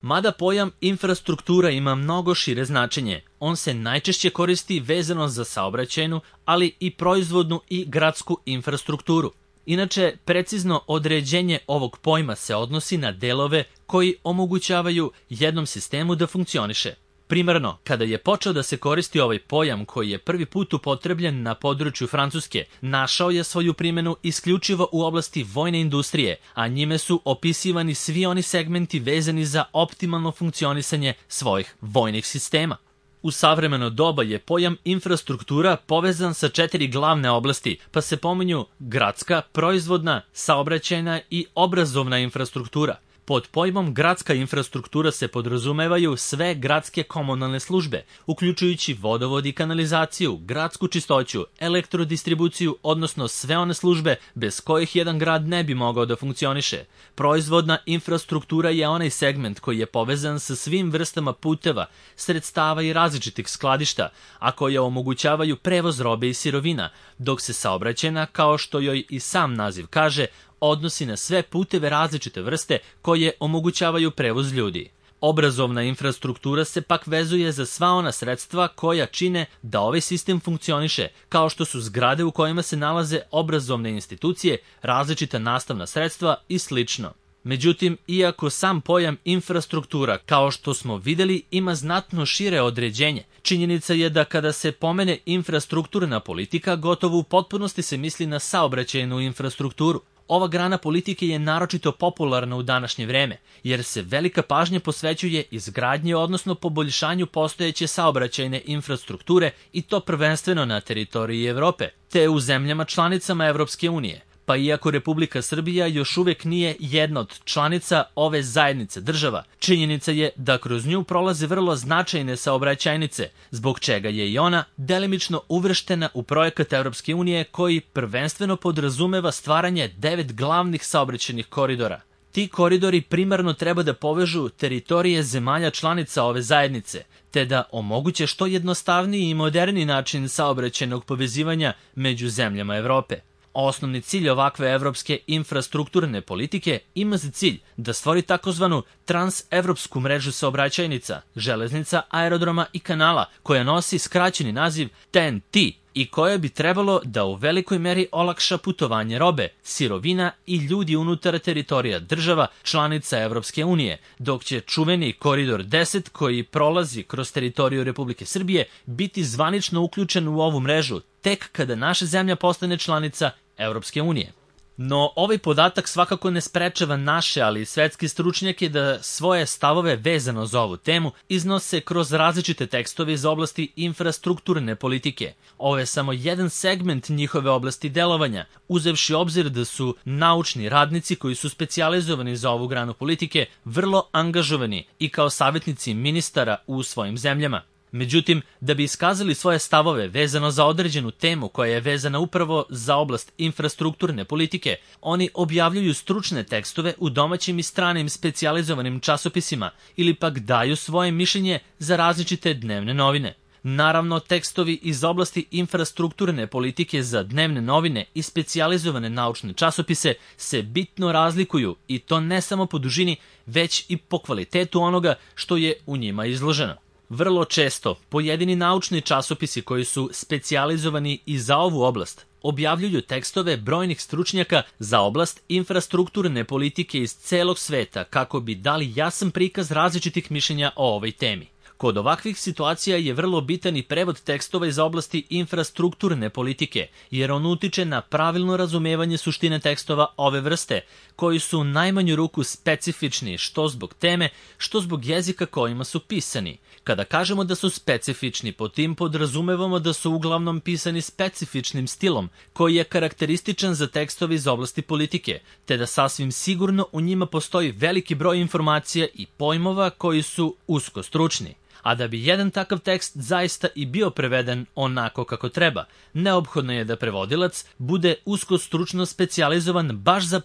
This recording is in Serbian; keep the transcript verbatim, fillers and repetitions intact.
Mada pojam infrastruktura ima mnogo šire značenje, on se najčešće koristi vezano za saobraćajnu, ali i proizvodnu i gradsku infrastrukturu. Inače, precizno određenje ovog pojma se odnosi na delove koji omogućavaju jednom sistemu da funkcioniše. Primarno, kada je počeo da se koristi ovaj pojam koji je prvi put upotrebljen na području Francuske, našao je svoju primenu isključivo u oblasti vojne industrije, a njime su opisivani svi oni segmenti vezani za optimalno funkcionisanje svojih vojnih sistema. U savremeno doba je pojam infrastruktura povezan sa četiri glavne oblasti, pa se pominju gradska, proizvodna, saobraćajna i obrazovna infrastruktura. Pod pojmom gradska infrastruktura se podrazumevaju sve gradske komunalne službe, uključujući vodovod i kanalizaciju, gradsku čistoću, elektrodistribuciju, odnosno sve one službe bez kojih jedan grad ne bi mogao da funkcioniše. Proizvodna infrastruktura je onaj segment koji je povezan sa svim vrstama puteva, sredstava i različitih skladišta, a koje omogućavaju prevoz robe i sirovina, dok se saobraćajna, kao što joj i sam naziv kaže, odnosi na sve puteve različite vrste koje omogućavaju prevoz ljudi. Obrazovna infrastruktura se pak vezuje za sva ona sredstva koja čine da ovaj sistem funkcioniše, kao što su zgrade u kojima se nalaze obrazovne institucije, različita nastavna sredstva i slično. Međutim, iako sam pojam infrastruktura, kao što smo videli, ima znatno šire određenje, činjenica je da kada se pomene infrastrukturna politika, gotovo u potpunosti se misli na saobraćajnu infrastrukturu. Ova grana politike je naročito popularna u današnje vreme, jer se velika pažnja posvećuje izgradnji, odnosno poboljšanju postojeće saobraćajne infrastrukture i to prvenstveno na teritoriji Evrope, te u zemljama članicama Evropske unije. Pa iako Republika Srbija još uvek nije jedna od članica ove zajednice država, činjenica je da kroz nju prolaze vrlo značajne saobraćajnice, zbog čega je i ona delimično uvrštena u projekat Evropske unije koji prvenstveno podrazumeva stvaranje devet glavnih saobraćajnih koridora. Ti koridori primarno treba da povežu teritorije zemalja članica ove zajednice, te da omoguće što jednostavniji i moderniji način saobraćajnog povezivanja među zemljama Evrope. Osnovni cilj ovakve evropske infrastrukturne politike ima za cilj da stvori takozvanu transevropsku mrežu saobraćajnica, železnica, aerodroma i kanala, koja nosi skraćeni naziv T E N T i koja bi trebalo da u velikoj meri olakša putovanje robe, sirovina i ljudi unutar teritorija država članica Evropske unije, dok će čuveni koridor deset koji prolazi kroz teritoriju Republike Srbije biti zvanično uključen u ovu mrežu tek kada naša zemlja postane članica Evropske unije. No, ovaj podatak svakako ne sprečava naše, ali i svetske stručnjake da svoje stavove vezano za ovu temu iznose kroz različite tekstove iz oblasti infrastrukturne politike. Ovo je samo jedan segment njihove oblasti delovanja, uzevši obzir da su naučni radnici koji su specijalizovani za ovu granu politike vrlo angažovani i kao savjetnici ministara u svojim zemljama. Međutim, da bi iskazali svoje stavove vezano za određenu temu koja je vezana upravo za oblast infrastrukturne politike, oni objavljuju stručne tekstove u domaćim i stranim specijalizovanim časopisima ili pak daju svoje mišljenje za različite dnevne novine. Naravno, tekstovi iz oblasti infrastrukturne politike za dnevne novine i specijalizovane naučne časopise se bitno razlikuju i to ne samo po dužini, već i po kvalitetu onoga što je u njima izloženo. Vrlo često, pojedini naučni časopisi koji su specijalizovani i za ovu oblast objavljuju tekstove brojnih stručnjaka za oblast infrastrukturne politike iz celog sveta kako bi dali jasan prikaz različitih mišljenja o ovoj temi. Kod ovakvih situacija je vrlo bitan i prevod tekstova iz oblasti infrastrukturne politike, jer on utiče na pravilno razumevanje suštine tekstova ove vrste, koji su u najmanju ruku specifični što zbog teme, što zbog jezika kojima su pisani. Kada kažemo da su specifični, po tim podrazumevamo da su uglavnom pisani specifičnim stilom, koji je karakterističan za tekstove iz oblasti politike, te da sasvim sigurno u njima postoji veliki broj informacija i pojmova koji su usko stručni. A da bi jedan takav tekst zaista i bio preveden onako kako treba, neophodno je da prevodilac bude usko stručno specijalizovan baš za